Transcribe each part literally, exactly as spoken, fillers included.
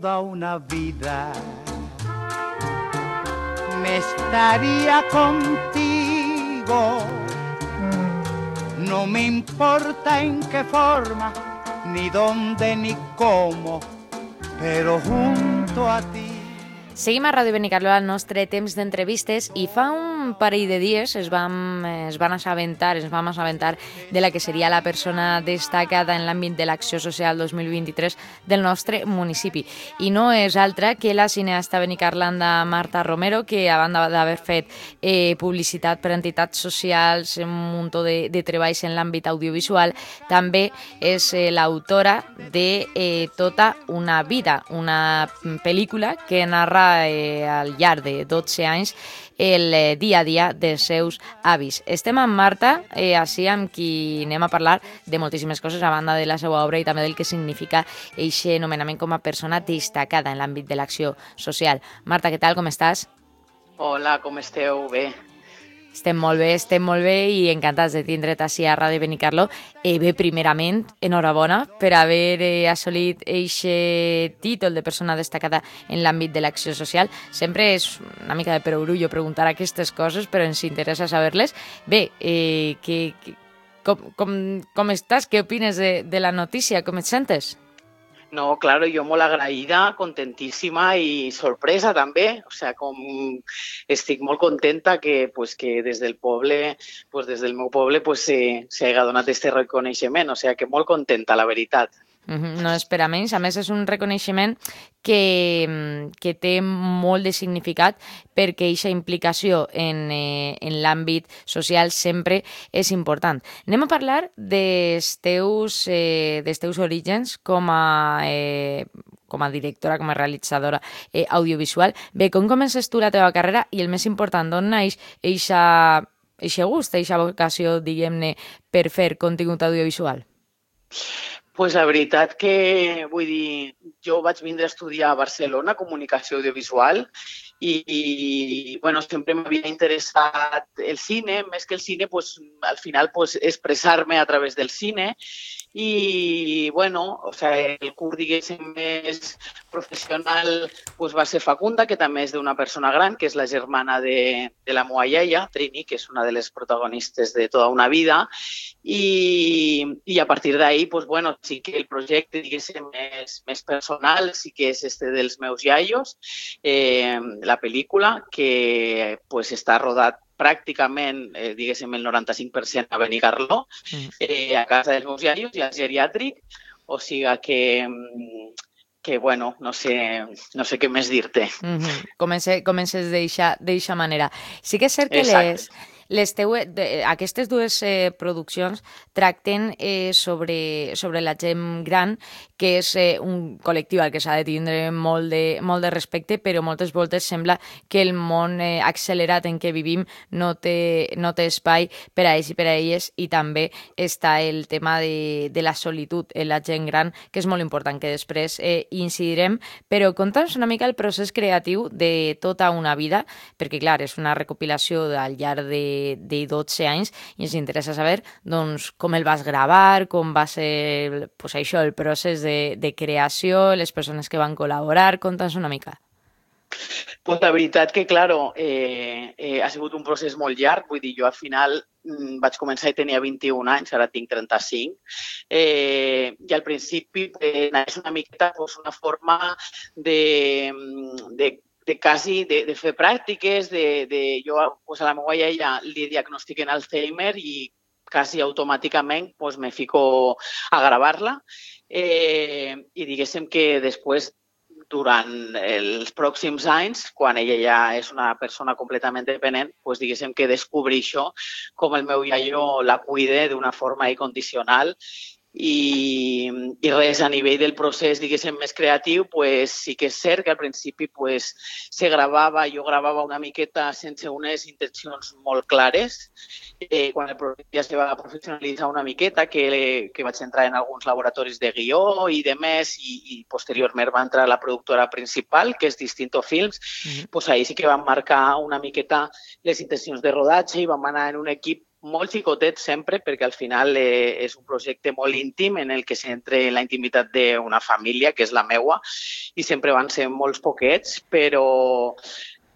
toda una vida me estaría contigo. No me importa en qué forma, ni dónde, ni cómo, pero junto a ti. Seguim a Ràdio Benicarló al nostre temps d'entrevistes i fa un parell de dies es vam, es van assabentar, ens vam assabentar de la que seria la persona destacada en l'àmbit de l'acció social dos mil vint-i-tres del nostre municipi. I no és altra que la cineasta benicarlanda Marta Romero, que a banda d'haver fet eh, publicitat per a entitats socials, un munt de, de treballs en l'àmbit audiovisual, també és eh, l'autora de eh, Tota una vida, una pel·lícula que narra Eh, al llarg de dotze anys el eh, dia a dia dels seus avis. Estem amb Marta, eh, així amb qui anem a parlar de moltíssimes coses a banda de la seva obra i també del que significa aquest nomenament com a persona destacada en l'àmbit de l'acció social. Marta, què tal? Com estàs? Hola, com esteu? Bé. Estem molt bé, estem molt bé i encantats de tindre't així a Ràdio Benicarló. Eh, bé, primerament, enhorabona per haver eh, assolit aquest títol de persona destacada en l'àmbit de l'acció social. Sempre és una mica de perogrullo preguntar aquestes coses, però ens interessa saber-les. Bé, eh, que, que, com, com, com estàs? Què opines de, de la notícia? Com et sentes? No, claro, yo molt agraïda, contentíssima i sorpresa també. O sea, com estic molt contenta que, pues, que des del poble, pues, des del meu poble, pues, s'hagi donat aquest reconeixement. O sea, que molt contenta, la veritat. Uh-huh. No és per a menys. A més, és un reconeixement que, que té molt de significat perquè aquesta implicació en, eh, en l'àmbit social sempre és important. Anem a parlar dels teus, eh, dels teus orígens com a, eh, com a directora, com a realitzadora eh, audiovisual. Bé, com comences tu la teva carrera i el més important, d'on naix eixa, eixa gust, eixa vocació, diguem-ne, per fer contingut audiovisual? Pues la veritat que, vull dir, jo vaig vindre a estudiar a Barcelona comunicació audiovisual i, i bueno, sempre m'havia interessat el cine, més que el cine, pues, al final pues, expressar-me a través del cine i, bueno, o sea, el curs, diguéssim, més professional pues, va ser fecunda, que també és d'una persona gran, que és la germana de, de la meva iaia, Trini, que és una de les protagonistes de Tota una vida, i, i a partir d'ahí, pues, bueno, sí que el projecte, diguéssim, més, més personal, sí que és este dels meus iaios, eh, la pel·lícula, que pues, està rodat pràcticament, eh, diguéssim, el noranta-cinc per cent a Benicarló, eh, a casa dels meus iaios i al geriàtric, o sigui que, que bueno, no sé, no sé què més dir-te. Mm-hmm. Comences, comences d'eixa manera. Sí que és cert que les... Les teues, de, aquestes dues eh, produccions tracten eh, sobre, sobre la gent gran, que és eh, un col·lectiu al que s'ha de tindre molt de, molt de respecte, però moltes voltes sembla que el món eh, accelerat en què vivim no té, no té espai per a ells i per a elles, i també està el tema de, de la solitud en la gent gran, que és molt important, que després eh, incidirem, però conta'ns una mica el procés creatiu de Tota una vida, perquè clar, és una recopilació al llarg de de dotze anys i ens interessa saber doncs, com el vas gravar, com va ser pues, això, el procés de, de creació, les persones que van col·laborar. Conta'ns una mica. Pues la veritat que, claro, eh, eh, ha sigut un procés molt llarg. Vull dir, jo al final mm, vaig començar i tenia vint-i-un anys, ara tinc trenta-cinc. Eh, I al principi eh, és una miqueta pues, una forma de, de de quasi de, de fer pràctiques, de, de jo pues, a la meva iaia li diagnostiquen Alzheimer i quasi automàticament pues, me fico a gravar-la eh, i diguéssim que després durant els pròxims anys, quan ella ja és una persona completament dependent, pues, diguéssim que descobri això, com el meu iaio la cuide d'una forma incondicional. I, i res, a nivell del procés, diguéssim, més creatiu, pues, sí que és cert que al principi pues, se gravava, jo gravava una miqueta sense unes intencions molt clares. Eh, quan el projecte ja se va professionalitzar una miqueta, que, que vaig entrar en alguns laboratoris de guió i de més, i, i posteriorment va entrar la productora principal, que és Distinto Films, mm-hmm. pues ahí sí que vam marcar una miqueta les intencions de rodatge i vam anar en un equip molt xicotet sempre, perquè al final eh, és un projecte molt íntim en el que s'entra en la intimitat d'una família, que és la meua, i sempre van ser molts poquets, però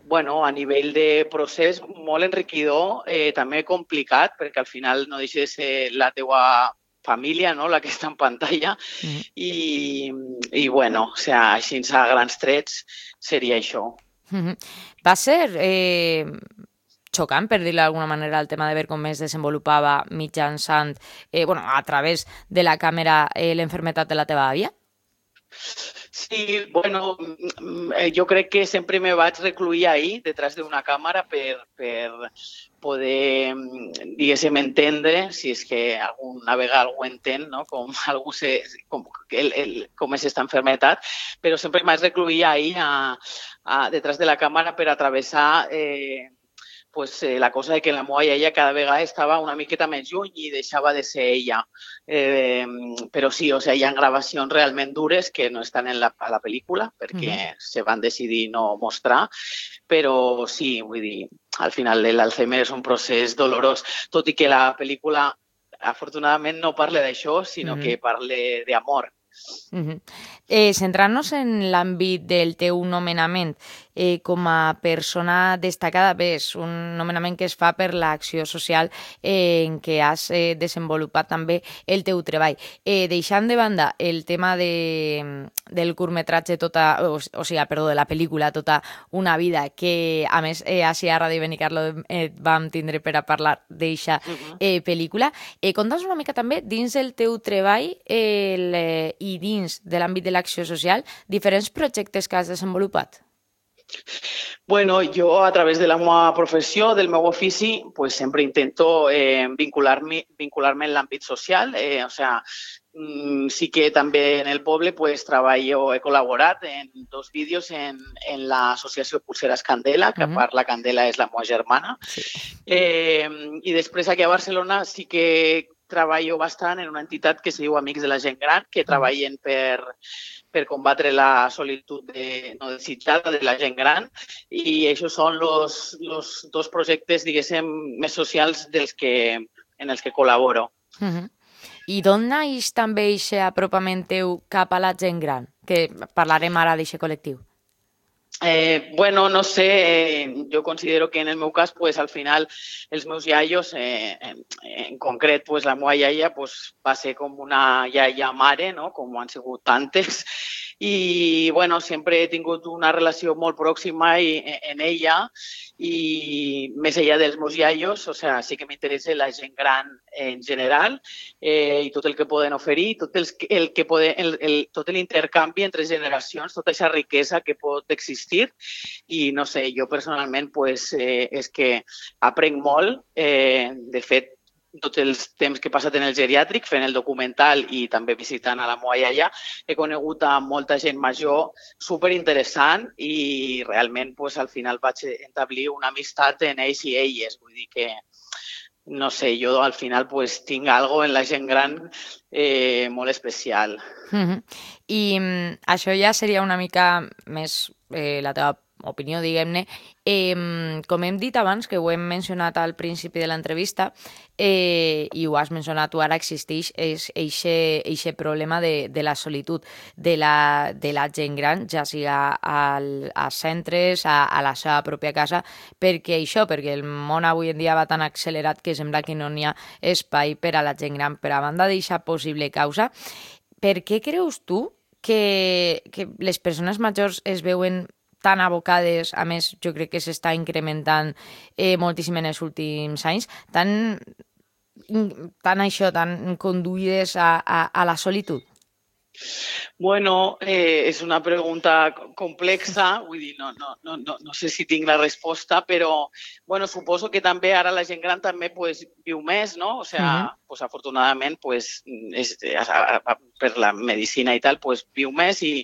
bueno, a nivell de procés molt enriquidor, eh, també complicat, perquè al final no deixa de ser la teua família, no?, la que està en pantalla, mm. i, i bueno, o sea, així a grans trets seria això. Mm-hmm. Va ser... Eh... xocant, per dir-ho d'alguna manera, el tema de veure com es desenvolupava mitjançant, eh, bueno, a través de la càmera, eh, l'enfermetat de la teva àvia? Sí, bueno, jo crec que sempre me vaig recluir ahí, detrás d'una càmera, per, per poder, diguéssim, entendre, si és que alguna vegada algú entén, no?, com, algú se, com, el, el, com és esta enfermetat, però sempre m'haig recluir ahí, a, a, detrás de la càmera, per atravessar... Eh, pues, eh, la cosa de que la meva iaia cada vegada estava una miqueta més lluny i deixava de ser ella. Eh, però sí, o sea, hi ha gravacions realment dures que no estan en la, a la pel·lícula perquè mm-hmm. se van decidir no mostrar, però sí, vull dir, al final l'Alzheimer és un procés dolorós, tot i que la pel·lícula afortunadament no parla d'això, sinó mm-hmm. que parla d'amor. Mm-hmm. Eh, centrant-nos en l'àmbit del teu nomenament eh, com a persona destacada, bé, és un nomenament que es fa per l'acció social eh, en què has eh, desenvolupat també el teu treball. Eh, deixant de banda el tema de, del curtmetratge tota, o, o sigui, perdó, de la pel·lícula Tota una vida, que a més eh, així a Ràdio Benicarló eh, vam tindre per a parlar d'eixa eh, pel·lícula, eh, conta'ns una mica també dins el teu treball el, eh, i dins de l'àmbit de l'acció social, diferents projectes que has desenvolupat. Bueno, jo a través de la meva professió, del meu ofici, pues sempre intento eh, vincular-me vincular-me en l'àmbit social. Eh, o sea, mm, sí que també en el poble pues, treballo, he col·laborat en dos vídeos en, en l'associació Pulseres Candela, que uh-huh. a part la Candela és la meva germana. Sí. Eh, I després aquí a Barcelona sí que treballo bastant en una entitat que es diu Amics de la Gent Gran, que treballen per, per combatre la solitud de, no desitjada de la gent gran, i això són els dos projectes, diguéssim, més socials dels que, en els que col·laboro. Uh-huh. I d'on naix també aquest apropament teu cap a la gent gran? Que parlarem ara d'aquest col·lectiu. Eh, bueno, no sé, eh, jo considero que en el meu cas, pues, al final, els meus iaios, eh, en, en concret, pues, la meva iaia pues, va ser com una iaia mare, no?, com han sigut tantes, i bueno, sempre he tingut una relació molt pròxima i, en ella, i més enllà dels meus iaios, o sea, sí que m'interessa la gent gran en general eh, i tot el que poden oferir, tot el, el que poden, el, el, tot l'intercanvi entre generacions, tota aquesta riquesa que pot existir, i no sé, jo personalment pues, eh, és que aprenc molt, eh, de fet, tots els temps que he passat en el geriàtric, fent el documental i també visitant a la meva iaia, he conegut a molta gent major superinteressant i realment pues, al final vaig establir una amistat en ells i elles. Vull dir que, no sé, jo al final pues, tinc algo en la gent gran eh, molt especial. Mm-hmm. I mm, això ja seria una mica més eh, la teva opinió, diguem-ne. Eh, com hem dit abans, que ho hem mencionat al principi de l'entrevista, eh, i ho has mencionat tu ara, existeix aquest problema de, de la solitud de la, de la gent gran, ja siga al, als centres, a, a la seva pròpia casa, perquè això, perquè el món avui en dia va tan accelerat que sembla que no n'hi ha espai per a la gent gran. Per a banda d'aquesta possible causa, per què creus tu que, que les persones majors es veuen tan abocades, a més jo crec que s'està incrementant eh, moltíssim en els últims anys, tan, tan això, tan conduïdes a, a, a la solitud? Bueno, eh, és una pregunta complexa, vull dir, no, no, no, no, no sé si tinc la resposta, però bueno, suposo que també ara la gent gran també pues, viu més, no? O sea, uh-huh. pues, afortunadament, pues, és, per la medicina i tal, pues, viu més i,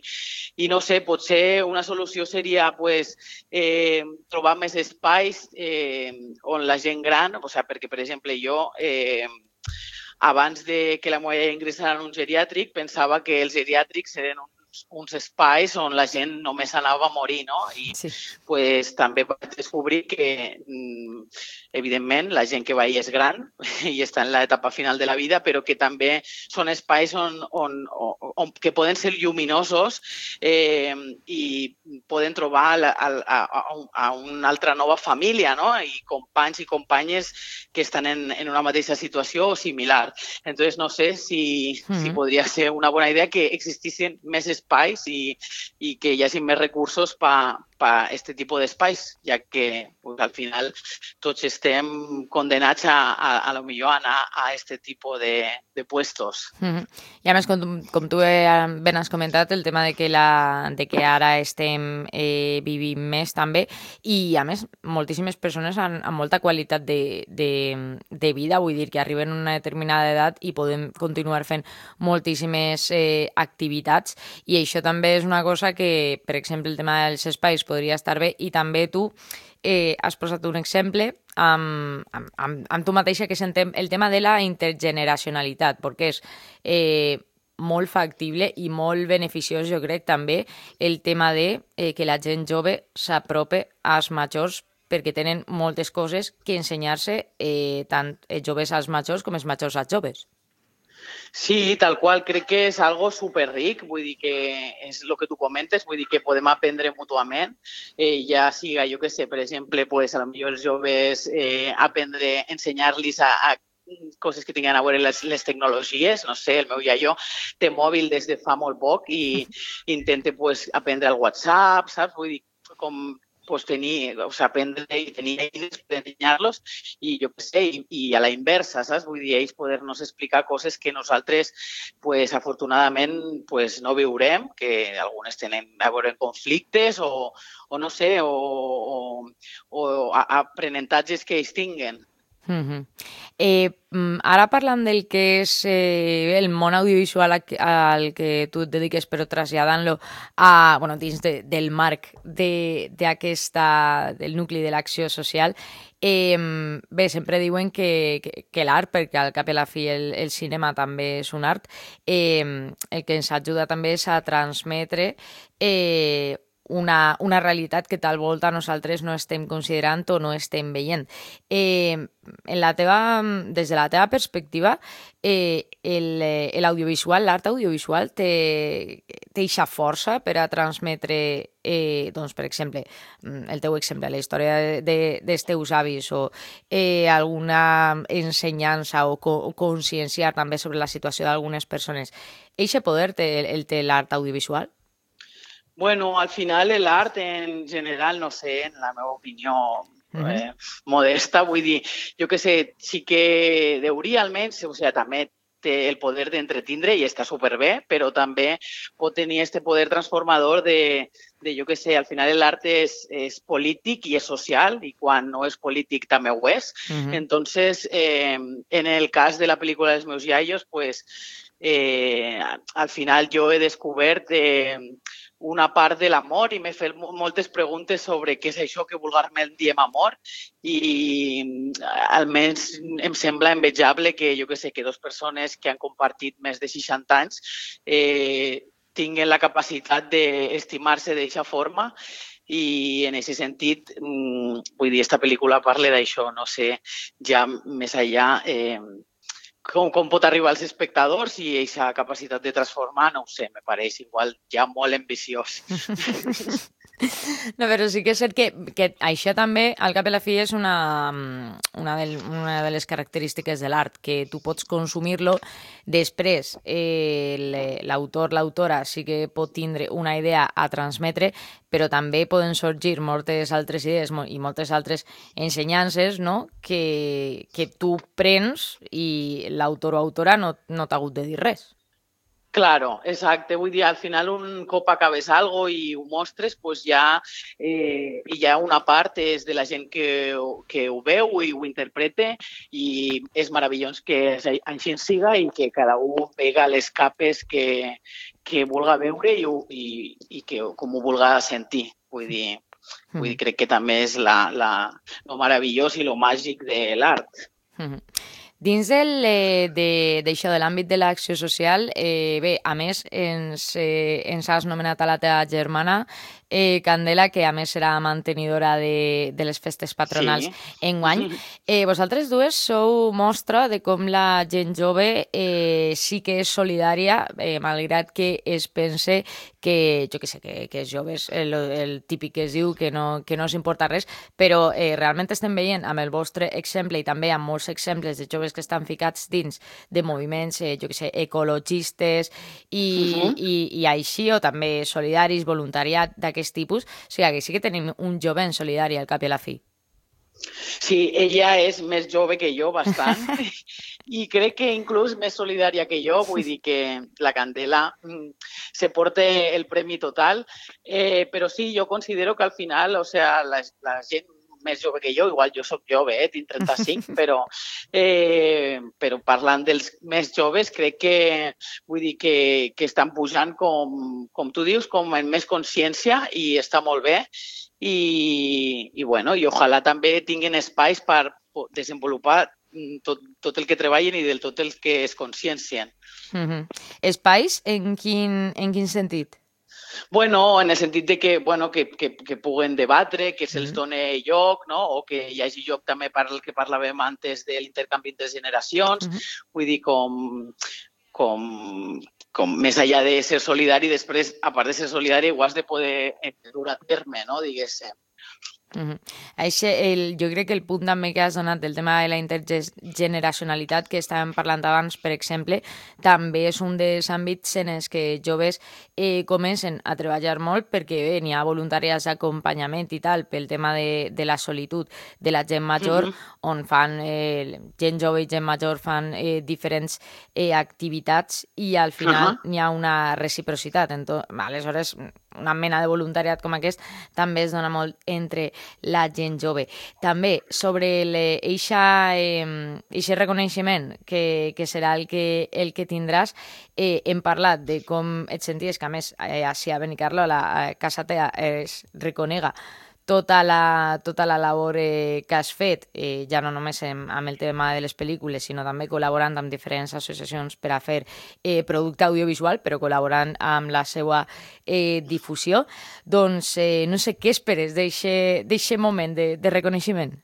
i no sé, potser una solució seria pues, eh, trobar més espais eh, on la gent gran, o sea, perquè, per exemple, jo... Eh, abans de que la meva iaia ingressara en un geriàtric, pensava que els geriàtrics eren un uns, uns espais on la gent només anava a morir, no? I Sí. pues, també vaig descobrir que, evidentment, la gent que va allà és gran i està en l'etapa final de la vida, però que també són espais on, on, on, on que poden ser lluminosos eh, i poden trobar a, a, a, a una altra nova família, no? I companys i companyes que estan en, en una mateixa situació o similar. Entonces, no sé si, mm-hmm. si podria ser una bona idea que existissin més espais i, i que hi hagi més recursos per pa este tipus d'espais, ja que pues, al final tots estem condenats a, a, a lo millor a anar a este tipus de, de puestos. Mm-hmm. I a més, com, com tu ben has comentat, el tema de que, la, de que ara estem eh, vivint més també, i a més, moltíssimes persones amb, amb molta qualitat de, de, de vida, vull dir que arriben a una determinada edat i podem continuar fent moltíssimes eh, activitats, i això també és una cosa que, per exemple, el tema dels espais podria estar bé, i també tu eh, has posat un exemple amb, amb, amb, amb tu mateixa, que és el tema de la intergeneracionalitat, perquè és eh, molt factible i molt beneficiós, jo crec, també el tema de eh, que la gent jove s'aprope als majors, perquè tenen moltes coses que ensenyar-se eh, tant els joves als majors com els majors als joves. Sí, tal qual, crec que és algo superric, vull dir que és el que tu comentes, vull dir que podem aprendre mútuament, eh, ja siga, jo què sé, per exemple, pues, a lo millor els joves eh, aprendre, ensenyar-los a, a coses que tinguin a veure les, les tecnologies, no sé, el meu iaio té mòbil des de fa molt poc i intenta pues, aprendre el WhatsApp, saps? Vull dir, com pues, tenir, o sigui, aprendre i tenir eines per ensenyar-los i jo què sé, i, i a la inversa, saps? Vull dir, ells poder-nos explicar coses que nosaltres, pues, afortunadament, pues, no viurem, que algunes tenen a veure conflictes o, o no sé, o, o, o aprenentatges que ells tinguen. Mm-hmm. Eh, ara parlant del que és eh, el món audiovisual al, al que tu et dediques, però traslladant-lo a, bueno, dins de, del marc d'aquesta, del nucli de l'acció social, eh, bé, sempre diuen que, que, que l'art, perquè al cap i a la fi el, el cinema també és un art, eh, el que ens ajuda també és a transmetre eh, Una, una realitat que tal volta nosaltres no estem considerant o no estem veient. Eh, en la teva, des de la teva perspectiva, eh, l'audiovisual, l'art audiovisual té eixa força per a transmetre, eh, doncs, per exemple, el teu exemple, la història de, dels teus avis o eh, alguna ensenyança o, co, o conscienciar també sobre la situació d'algunes persones. Eixe poder té, el té l'art audiovisual? Bueno, al final l'art en general, no sé, en la meva opinió eh, modesta, vull dir, jo que sé, sí que deuria almenys, o sigui, també té el poder d'entretindre i està superbé, però també pot tenir este poder transformador de, de jo que sé, al final l'art és, és polític i és social, i quan no és polític també ho és. Uh-huh. Entonces, eh, en el cas de la pel·lícula dels meus iaios, pues, eh, al final jo he descobert eh, una part de l'amor i m'he fet moltes preguntes sobre què és això que vulgarment diem amor i almenys em sembla envejable que jo que sé, que dues persones que han compartit més de seixanta anys eh, tinguen la capacitat d'estimar-se d'aquesta forma i en aquest sentit, vull dir, esta pel·lícula parla d'això, no sé, ja més enllà eh, Com, com pot arribar als espectadors i aquesta capacitat de transformar, no ho sé, me pareix igual ja molt ambiciós. No, però sí que és cert que, que això també, al cap i a la fi, és una, una, de, una de les característiques de l'art, que tu pots consumir-lo, després eh, l'autor, l'autora sí que pot tindre una idea a transmetre, però també poden sorgir moltes altres idees i moltes altres ensenyances, no?, que, que tu prens i l'autor o autora no, no t'ha hagut de dir res. Claro, exacte. Vull dir, al final un cop acabes algo i ho mostres, pues ja eh, hi ha una part és de la gent que, que ho veu i ho interpreta i és meravellós que així siga i que cada un pega les capes que, que vulga veure i, i, i que com ho vulga sentir. Vull dir, vull dir crec que també és la, la, lo meravellós i lo màgic de l'art. Mm-hmm. Dins del, eh, de, d'això, de l'àmbit de l'acció social, eh, bé, a més, ens, eh, ens has nomenat a la teva germana, eh, Candela, que a més serà mantenidora de, de les festes patronals Sí. enguany. Eh, vosaltres dues sou mostra de com la gent jove eh, sí que és solidària, eh, malgrat que es pense que, jo què sé, que, que els joves, el, el típic que es diu que no, que no s'importa res, però eh, realment estem veient amb el vostre exemple i també amb molts exemples de joves que estan ficats dins de moviments, eh, jo què sé, ecologistes i, Uh-huh. i, i així, o també solidaris, voluntariat d'aquest tipus. O sigui, que sí que tenim un jovent solidari al cap i a la fi. Sí, ella és més jove que jo, bastant, i crec que inclús més solidària que jo, vull dir que la Candela mm, se porta el premi total, eh, però sí, jo considero que al final, o sea, la, la gent més jove que jo, igual jo sóc jove, eh, tinc trenta-cinc, però, eh, però parlant dels més joves, crec que, vull dir que, que estan pujant, com, com tu dius, com en més consciència i està molt bé. I, i, bueno, i ojalà també tinguin espais per desenvolupar tot, tot el que treballen i del tot el que es consciencien. Mm-hmm. Espais en quin, en quin sentit? Bueno, en el sentit de que, bueno, que, que, que puguen debatre, que se'ls doni lloc, no? O que hi hagi lloc també per el que parlàvem antes de l'intercanvi entre generacions, mm-hmm. Vull dir, com, com, com més enllà de ser solidari, després, a part de ser solidari, ho has de poder dur a terme, no? Diguéssim. Mm-hmm. Això, el, jo crec que el punt també que has donat del tema de la intergeneracionalitat que estàvem parlant abans, per exemple, també és un dels àmbits en els que joves eh, comencen a treballar molt perquè bé, n'hi ha voluntàries d'acompanyament i tal pel tema de, de la solitud de la gent major, mm-hmm. on fan eh, gent jove i gent major fan eh, diferents eh, activitats i al final uh-huh. n'hi ha una reciprocitat. Entonces, aleshores, una mena de voluntariat com aquest també es dona molt entre la gent jove. També sobre eixa eh, reconeixement que, que serà el que, el que tindràs, eh, hem parlat de com et senties, que a més eh, així a Benicarló, a la a casa teva, es reconega tota la, tota la labor eh, que has fet, eh, ja no només amb, amb el tema de les pel·lícules, sinó també col·laborant amb diferents associacions per a fer eh, producte audiovisual, però col·laborant amb la seva eh, difusió. Doncs eh, no sé què esperes d'aquest moment de, de reconeixement.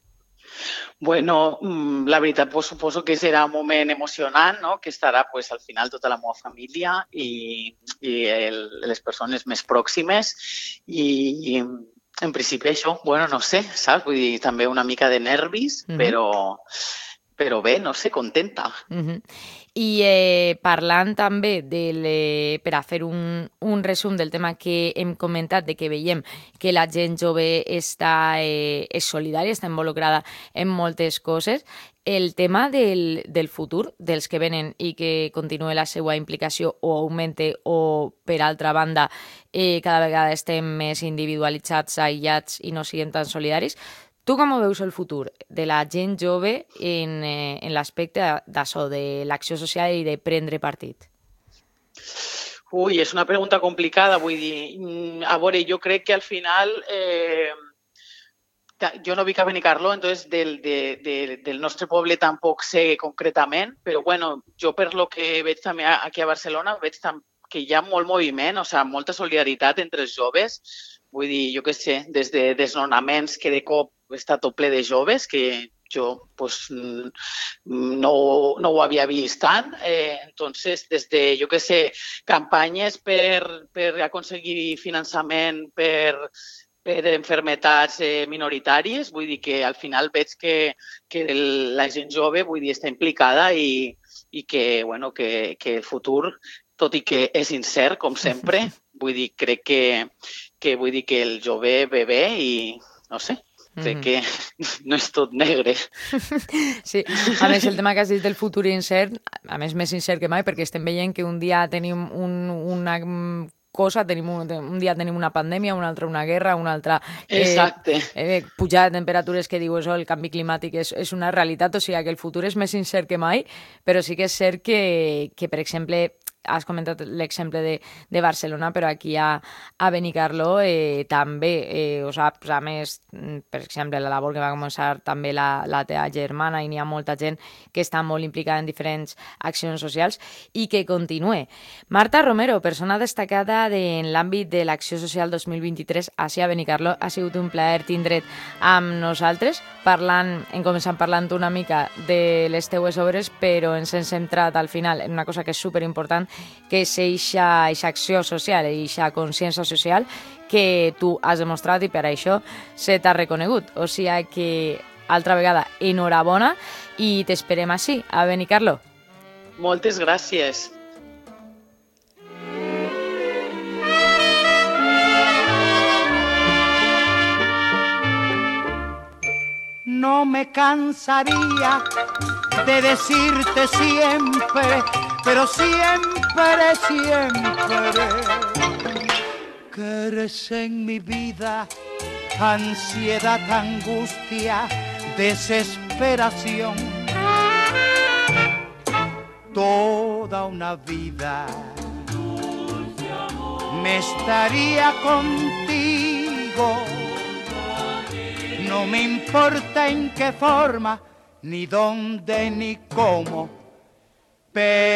Bueno, la veritat, pues, suposo que serà un moment emocionant, no? Que estarà pues, al final tota la meva família i, i el, les persones més pròximes i, i en principi això, bueno, no sé, saps? Vull dir, també una mica de nervis, mm-hmm. però, però bé, no sé, contenta. Mm-hmm. I eh, parlant també del, eh, per a fer un, un resum del tema que hem comentat, de que veiem que la gent jove està, eh, és solidària, està involucrada en moltes coses, el tema del, del futur, dels que venen i que continue la seva implicació o augmente o, per altra banda, eh, cada vegada estem més individualitzats, aïllats i no siguem tan solidaris. Tu com veus el futur de la gent jove en, eh, en l'aspecte d'això, de l'acció social i de prendre partit? Ui, és una pregunta complicada, vull dir, a veure, jo crec que al final... Eh, jo no vic a Benicarló, entonces del, de, de, del nostre poble tampoc sé concretament, però bueno, jo per lo que veig també aquí a Barcelona, veig que hi ha molt moviment, o sigui, molta solidaritat entre els joves. Vull dir, jo què sé, des de desnonaments que de cop està tot ple de joves, que jo pues, no, no ho havia vist tant. Eh, entonces, des de, jo què sé, campanyes per, per aconseguir finançament per... per enfermetats eh, minoritàries, vull dir que al final veig que, que el, la gent jove vull dir, està implicada i, i que, bueno, que, que el futur, tot i que és incert, com sempre, vull dir, crec que, que, vull dir que el jove ve bé i, no sé, crec que no és tot negre. Sí, a més el tema que has dit del futur incert, a més més incert que mai, perquè estem veient que un dia tenim un, una cosa, tenim un, un dia tenim una pandèmia, un altre una guerra, un altre eh, Exacte. eh, pujada de temperatures que diu això, el canvi climàtic és, és una realitat, o sigui que el futur és més incert que mai, però sí que és cert que, que per exemple, has comentat l'exemple de, de Barcelona, però aquí a, a Benicarló eh, també eh, ho saps, a més, per exemple, la labor que va començar també la, la teva germana, i n'hi ha molta gent que està molt implicada en diferents accions socials i que continue. Marta Romero, persona destacada de, en l'àmbit de l'acció social dos mil vint-i-tres així a Benicarló, ha sigut un plaer tindre't amb nosaltres, parlant, hem començat parlant una mica de les teues obres, però ens hem centrat al final en una cosa que és superimportant, que és eixa acció social, eixa consciència social que tu has demostrat i per això se t'ha reconegut. O sigui que, altra vegada, enhorabona i t'esperem així, a Benicarló. Moltes gràcies. No me cansaría de decirte siempre, pero siempre, siempre, que eres en mi vida ansiedad, angustia, desesperación. Toda una vida me estaría contigo. No me importa en qué forma, ni dónde, ni cómo, pero